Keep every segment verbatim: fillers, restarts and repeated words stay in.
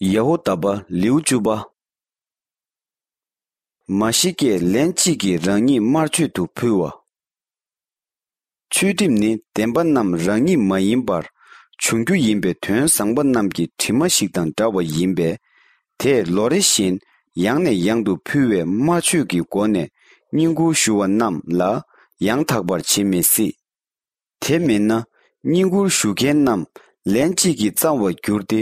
ཡ་ཧུ་དཱ་པ་ལེའུ་བཅུ་པ། མ་ཤི་ཀས་ལན་གཅིག་གིས་རང་ཉིད་དམར་མཆོད་དུ་ཕུལ་བ། ཆོས་ཁྲིམས་ནི་བདེན་པ་རྣམས་རང་ཉིད་མ་ཡིན་པར་འབྱུང་རྒྱུ་ཡིན་པའི་དོན་བཟང་པོ་རྣམས་ཀྱི་དྲི་མ་ཞིག་དང་འདྲ་བ་ཡིན་པས། དེས་ལོ་རེ་བཞིན་ཡང་ནས་ཡང་དུ་ཕུལ་བའི་དམར་མཆོད་ཀྱི་སྒོ་ནས་བསྙེན་བཀུར་ཞུ་བ་རྣམས་ལ་ཡང་དག་པར་བྱེད་མི་སྲིད། དེ་མིན་ན་བསྙེན་བཀུར་ཞུ་མཁན་རྣམས་ལན་གཅིག་གིས་གཙང་བར་འགྱུར་ཏེ་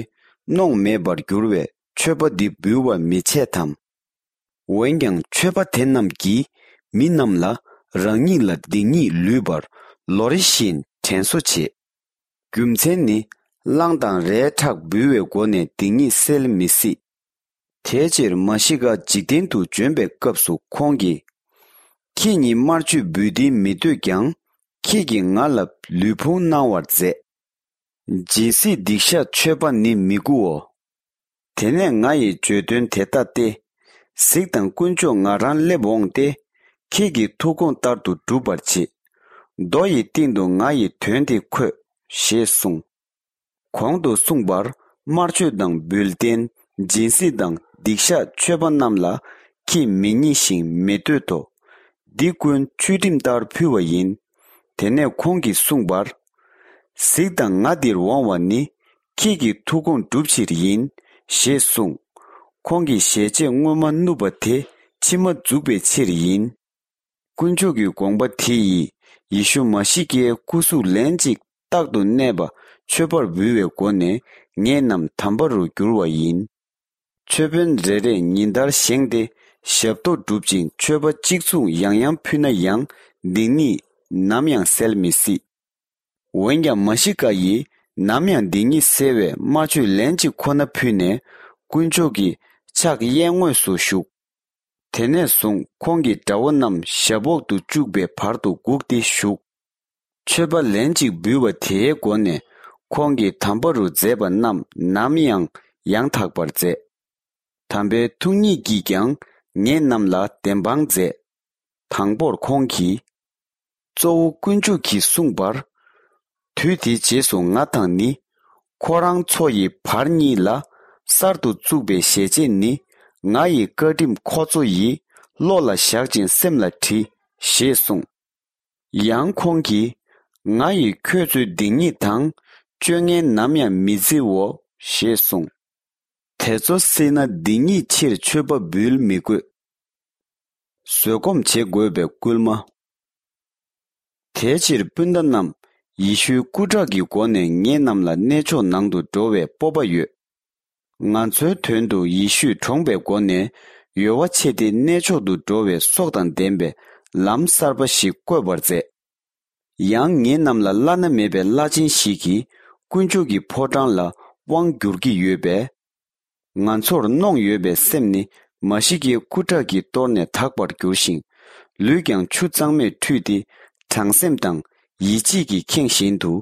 གནོང་མེད་པར་འགྱུར་བས་མཆོད་པ་འདི་འབུལ་བར་མི་བྱེད་དམ། འོན་ཀྱང་མཆོད་པ་དེ་རྣམས་ཀྱིས་མི་རྣམས་ལ་རང་ཉིད་ལ་སྡིག་ཉེས་ལུས་པར་ལོ་རེ་བཞིན་དྲན་གསོ་བྱེད། རྒྱུ་མཚན་ནི་གླང་དང་རལ་གྲགས་འབུལ་བའི་སྒོ་ནས་སྡིག་ཉེས་སེལ་མི་སྲིད། དེའི་ཕྱིར་མཱ་ཤི་ཀ་འཇིག་རྟེན་དུ་བྱོན་པའི་སྐབས་སུ་ཁོང་གིས། ཁྱེད་ཉིད་དམར་མཆོད་འབུལ་སྡིག་མི་འདོད་ཀྱང་། ཁྱེད་ཀྱིས་ང་ལ་ལུས་ཕུང་གནང་བར་མཛད། སྦྱིན་སྲེག་སྡིག་བཤགས་མཆོད་པ་ནི་མི་དགུའོ། དེ་ནས་ང་ཡིས་བརྗོད་དོན་དེ་ལྟ་སྟེ། གཟིགས་དང་། དཀོན་མཆོག་ང་རང་སླེབས་འོངས་ཏེ། ཁྱེད་ཀྱི་ཐུགས་དགོངས་ལྟར་དུ་སྒྲུབ་པར་བྱེད། རྡོ་ཡི་སྟེང་དུ་ང་ཡི་དོན་དེ་འཁོད། ཞེས་གསུངས། གོང་དུ་གསུངས་པར་དམར་མཆོད་དང་འབུལ་རྟེན། སྦྱིན་སྲེག་དང་སྡིག་བཤགས་མཆོད་པ་རྣམས་ལ་ཁྱེད་མི་མཉེས་ཤིང་མི་འདོད་དོ། འདི་ཀུན་ཆོས་ཁྲིམས་ལྟར་ཕུལ་བ་ཡིན། དེ་ནས་ཁོང་གིས་གསུངས་པར། གཟིགས་དང་། ང་འདིར་འོང་བ་ནི་ཁྱེད་ཀྱི་ཐུགས་དགོངས་སྒྲུབ་ཕྱིར་ཡིན། ཞེས་གསུངས། ཁོང་གིས་ཞལ་ཆད་སྔོན་མ་བསྣུབས་པ་དེ་ཕྱི་མ་འཛུགས་པའི་ཕྱིར་ཡིན། དཀོན་མཆོག་གི་དགོངས་པ་དེ་ཡིས་ཡེ་ཤུ་མཱ་ཤི་ཀའི་སྐུ་གཟུགས་ལན་གཅིག་རྟག་ཏུ་གནས་པ་མཆོད་པར་འབུལ་བའི་སྒོ་ནས་ངེད་རྣམས་དམ་པ་རུ་འགྱུར་བ་ཡིན། མཆོད་དཔོན་རེ་རེས་ཉིན་ལྟར་བཞེངས་ཏེ་ཞབས་ཏོག་སྒྲུབ་ཅིང་མཆོད་པ་གཅིག་མཚུངས་ཡང་ཡང་ཕུལ་ན་ཡང་སྡིག་ཉེས་ནམ་ཡང་སེལ་མི་སྲིད། འོན་ཀྱང་མཱ་ཤི་ཀ་ཡིས་ནམ་ཡང་སྡིག་ཉེས་སེལ་བའི་དམར་མཆོད་ལན་གཅིག་ཁོ་ན་ཕུལ་ནས་དཀོན་མཆོག་གི་ཕྱག་གཡས་ངོས་སུ་བཞུགས། དེ་ནས་བཟུང་ཁོང་གི་དགྲ་བོ་རྣམས་ཞབས་འོག་ཏུ་བཅུག་པའི་བར་དུ་སྒུག་སྟེ་བཞུགས། མཆོད་པ་ལན་གཅིག་འབུལ་བ་དེའི་སྒོ་ནས་ཁོང་གིས་དམ་པ་རུ་མཛད་པ་རྣམས་ནམ་ཡང་ཡང་དག་པར་མཛད། དམ་པའི་ཐུགས་ཉིད་ཀྱིས་ཀྱང་ངེད་རྣམས་ལ་བདེན་དཔང་མཛད། དང་པོར་ཁོང་གིས། གཙོ་བོ་དཀོན་མཆོག་གིས་གསུངས་པར། དུས་དེའི་རྗེས་སུ་ང་དང་ནི། ཁོ་རང་ཚོ་ཡི་བར་གཉིས་ལ་གསར་དུ་བཙུགས་པའི་ཞལ་ཆད་ནི། ང་ཡི་བཀའ་ཁྲིམས་ཁོ་ཚོ་ཡི་བློ་ལ་བཞག་ཅིང་སེམས་ལ་བྲིས། ཞེས་གསུངས། ཡང་ཁོང་གིས། ང་ཡིས་ཁྱོད་ཚོའི་སྡིག་ཉེས་དང་སྤྱོད་ངན་ནམ་ཡང་མི་བརྩིའོ། ཞེས་གསུངས། དེ་ཚོ་སྲིད་ན་སྡིག་ཉེས་ཕྱིར་མཆོད་པ་འབུལ་མི་དགོས། བཟོད་སྒོམ་བྱེད་དགོས་པའི་སྐུལ་མ། དེའི་ཕྱིར་སྤུན་ཟླ་རྣམས། ཡེ་ཤུའི་སྐུ་དྲག་གི་སྒོ་ནས་ངེད་རྣམས་ལ་གནས་མཆོག་ནང་དུ་འགྲོ་བའི་སྤོབས་པ་ཡོད། ང་ཚོའི་དོན་དུ་ཡེ་ཤུས་གྲོངས་པའི་སྒོ་ནས་ཡོལ་བ་ཆད་དེ་གནས་མཆོག་ཏུ་འགྲོ་བའི་སྲོག་དང་ལྡན་པའི་ལམ་གསར་པ་ཞིག་བཀོད་པར་མཛད། ཡང་ངེད་རྣམས་ལ་བླ་ན་མེད་པའི་བླ་ཆེན་ཞིག་གིས་དཀོན་མཆོག་གི་ཕོ་བྲང་ལ་དབང་བསྒྱུར་གྱི་ཡོད་པས། ང་ཚོར་གནོང་ཡོད་པའི་སེམས་ནི་མཱ་ཤི་ཀའི་སྐུ་དྲག་གིས་གཏོར་ནས་དག་པར་འགྱུར་ཞིང་། ལུས་ཀྱང་ཆུ་གཙང་མས་འཁྲུད་དེ། དྲང་སེམས་དང་ཡིད་ཆེས་ཀྱིས་ཁེངས་བཞིན་དུ་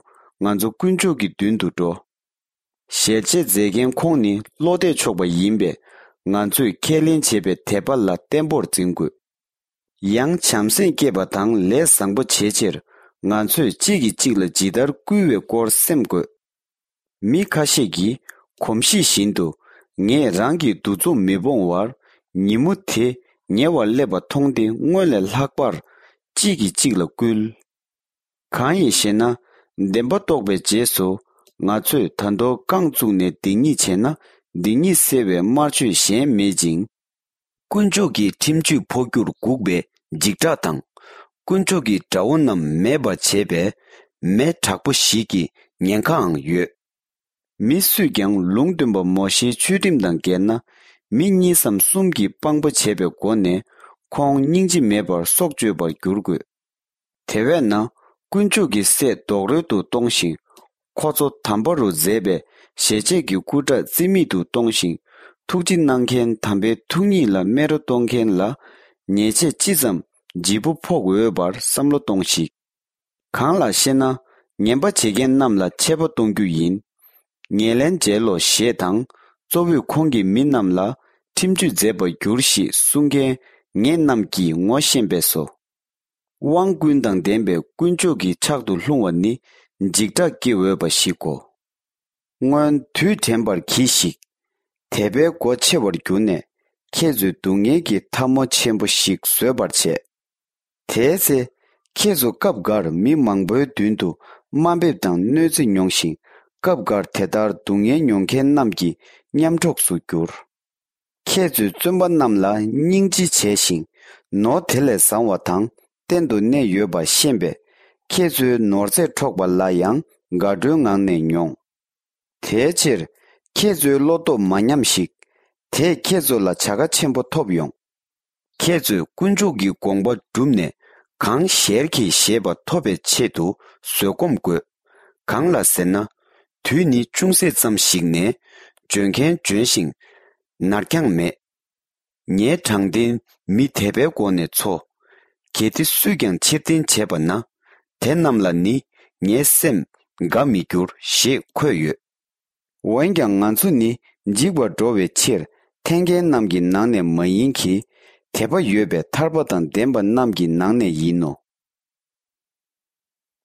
ང་ཚོ་དཀོན་མཆོག་གི་མདུན་དུ་འགྲོ། ཞལ་ཆད་མཛད་མཁན་ཁོང་ནི་བློ་གཏད་ཆོག་པ་ཡིན་པས། ང་ཚོས་ཁས་ལེན་བྱས་པའི་དད་པ་ལ་བརྟན་པོར་འཛིན་དགོས། ཡང་བྱམས་སེམས་བསྐྱེད་པ་དང་ལས་བཟང་པོ་བྱེད་ཕྱིར་ང་ཚོས་གཅིག་གིས་གཅིག་ལ་ཇི་ལྟར་བསྐུལ་བའི་སྐོར་སེམས་དགོས། མི་ཁ་ཤས་ཀྱིས་གོམས་གཤིས་བཞིན་དུ་ངས་རང་གི་འདུ་འཛོམས་མི་སྤོང་བར་ཉིན་མོ་དེ་ཉེ་བར་སླེབས་པ་མཐོང་སྟེ་སྔོན་ལས་ལྷག་པར་གཅིག་གིས་གཅིག་ལ་བསྐུལ། གང་ཡིན་ཞེ་ན། བདེན་པ་རྟོགས་པའི་རྗེས་སུ་ང་ཚོས་ད་དུང་རྐང་བཙུགས་ནས་སྡིག་ཉེས་བྱས་ན་སྡིག་ཉེས་སེལ་བའི་དམར་མཆོད་གཞན་མེད་ཅིང་། དཀོན་མཆོག་གི་ཁྲིམས་གཅོད་འཕོ་རྒྱུར་སྒུག་པའི་འཇིགས་སྐྲག་དང་། དཀོན་མཆོག་གི་དགྲ་བོ་རྣམས་མེད་པར་བྱེད་པའི་མེ་དྲག་པོ་ཞིག་གི་ཉེན་ཁའང་ཡོད། མི་སུས་ཀྱང་ལུང་སྟོན་པ་མོ་ཤེའི་ཆོས་ཁྲིམས་དང་འགལ་ན། མི་གཉིས་སམ་གསུམ་གྱིས་དཔང་པོ་བྱས་པའི་སྒོ་ནས་ཁོང་སྙིང་རྗེ་མེད་པར་སྲོག་གཅོད་པར་འགྱུར་དགོས། དེ་བས་ན་དཀོན་མཆོག་གི་སྲས་རྡོག་རོལ་དུ་གཏོང་ཞིང་། ཁོ་ཚོ་དམ་པ་རུ་མཛད་པའི་ཞལ་ཆད་ཀྱི་སྐུ་དགྲ་རྩིས་མེད་དུ་གཏོང་ཞིང་། ཐུགས་རྗེ་གནང་མཁན་དམ་པའི་ཐུགས་ཉིད་ལ་སྨད་རོ་གཏོང་མཁན་ལ་ཉེས་ཆད་ཅི་ཙམ་ལྗིད་པོ་ཕོག་འོས་པར་བསམ་བློ་གཏོང་ཞིག། གང་ལགས་ཤེ་ན། ངན་པ་བྱེད་མཁན་རྣམས་ལ་ཆད་པ་གཏོང་རྒྱུ་ཡིན། ངེས་ལེན་མཇལ་ལོ་ཞེས་དང་། གཙོ་བོས་ཁོང་གི་མི་རྣམས་ལ་ཁྲིམས་གཅོད་མཛད་པར་འགྱུར་ཞེས་གསུང་མཁན་ངེད་རྣམས་ཀྱིས་ངོ་ཤེས་པས་སོ། དབང་ཀུན་དང་ལྡན་པའི་དཀོན་མཆོག་གི་ཕྱག་ཏུ་ལྷུང་བ་ནི་འཇིགས་སྐྲག་སྐྱེ་འོས་པ་ཞིག་གོ། སྔོན་དུས་དྲན་པར་གྱིས་ཤིག། དད་པའི་སྒོ་ཕྱེ་བར་གྱུར་ནས། ཁྱེད་ཚོས་སྡུག་བསྔལ་གྱི་འཐབ་མོ་ཆེན་པོ་ཞིག་བཟོད་པར་བྱེད། དེའི་ཚེ། ཁྱེད་ཚོ་སྐབས་འགར་མི་མང་པོའི་མདུན་དུ་དམའ་འབེབས་དང་གནོད་འཚེ་མྱོང་ཞིང་། སྐབས་འགར་དེ་ལྟར་སྡུག་བསྔལ་མྱོང་མཁན་རྣམས་ཀྱི་མཉམ་གྲོགས་སུ་གྱུར། ཁྱེད་ཚོས་བཙོན་པ་རྣམས་ལ་སྙིང་རྗེ་བྱས་ཤིང་། ནོར་དེ་ལས་བཟང་བ་དང་གཏན་དུ་གནས་ཡོད་པ་ཤེས་པས། ཁྱེད་ཚོའི་ནོར་རྫས་འཕྲོག་པ་ལ་ཡང་དགའ་སྤྲོའི་ངང་ནས་མྱོང་། དེའི་ཕྱིར། ཁྱེད་ཚོའི་བློ་སྟོབས་མ་ཉམས་ཤིག། དེས་ཁྱེད་ཚོ་ལ་བྱ་དགའ་ཆེན་པོ་ཐོབ་ཡོང་། ཁྱེད་ཚོས་དཀོན་མཆོག་གི་དགོངས་པ་བསྒྲུབས་ནས། གང་ཞལ་གྱིས་བཞེས་པ་ཐོབ་པའི་ཆེད་དུ་བཟོད་སྒོམ་དགོས། གང་ལ་ཟེར་ན། དུས་ནི་ཅུང་ཟད་ཙམ་ཞིག་ནས། འབྱོན་མཁན་འབྱོན་ཞིང་། ནར་འགྱངས་མེད། ངའི་དྲང་བདེན་མི་དད་པའི་སྒོ་ནས་འཚོ། གལ་ཏེ་སུས་ཀྱང་ཕྱིར་འཐེན་བྱས་པ་ན། དེ་རྣམས་ལ་ནི་ངའི་སེམས་དགའ་མི་འགྱུར་ཞེས་འཁོད་ཡོད། འོན་ཀྱང་ང་ཚོ་ནི་འཇིག་པར་འགྲོ་བའི་ཕྱིར་འཐེན་མཁན་རྣམས་ཀྱི་ནང་ནས་མ་ཡིན་གྱི། དད་པ་ཡོད་པའི་ཐར་པ་དང་ལྡན་པ་རྣམས་ཀྱི་ནང་ནས་ཡིན་ནོ།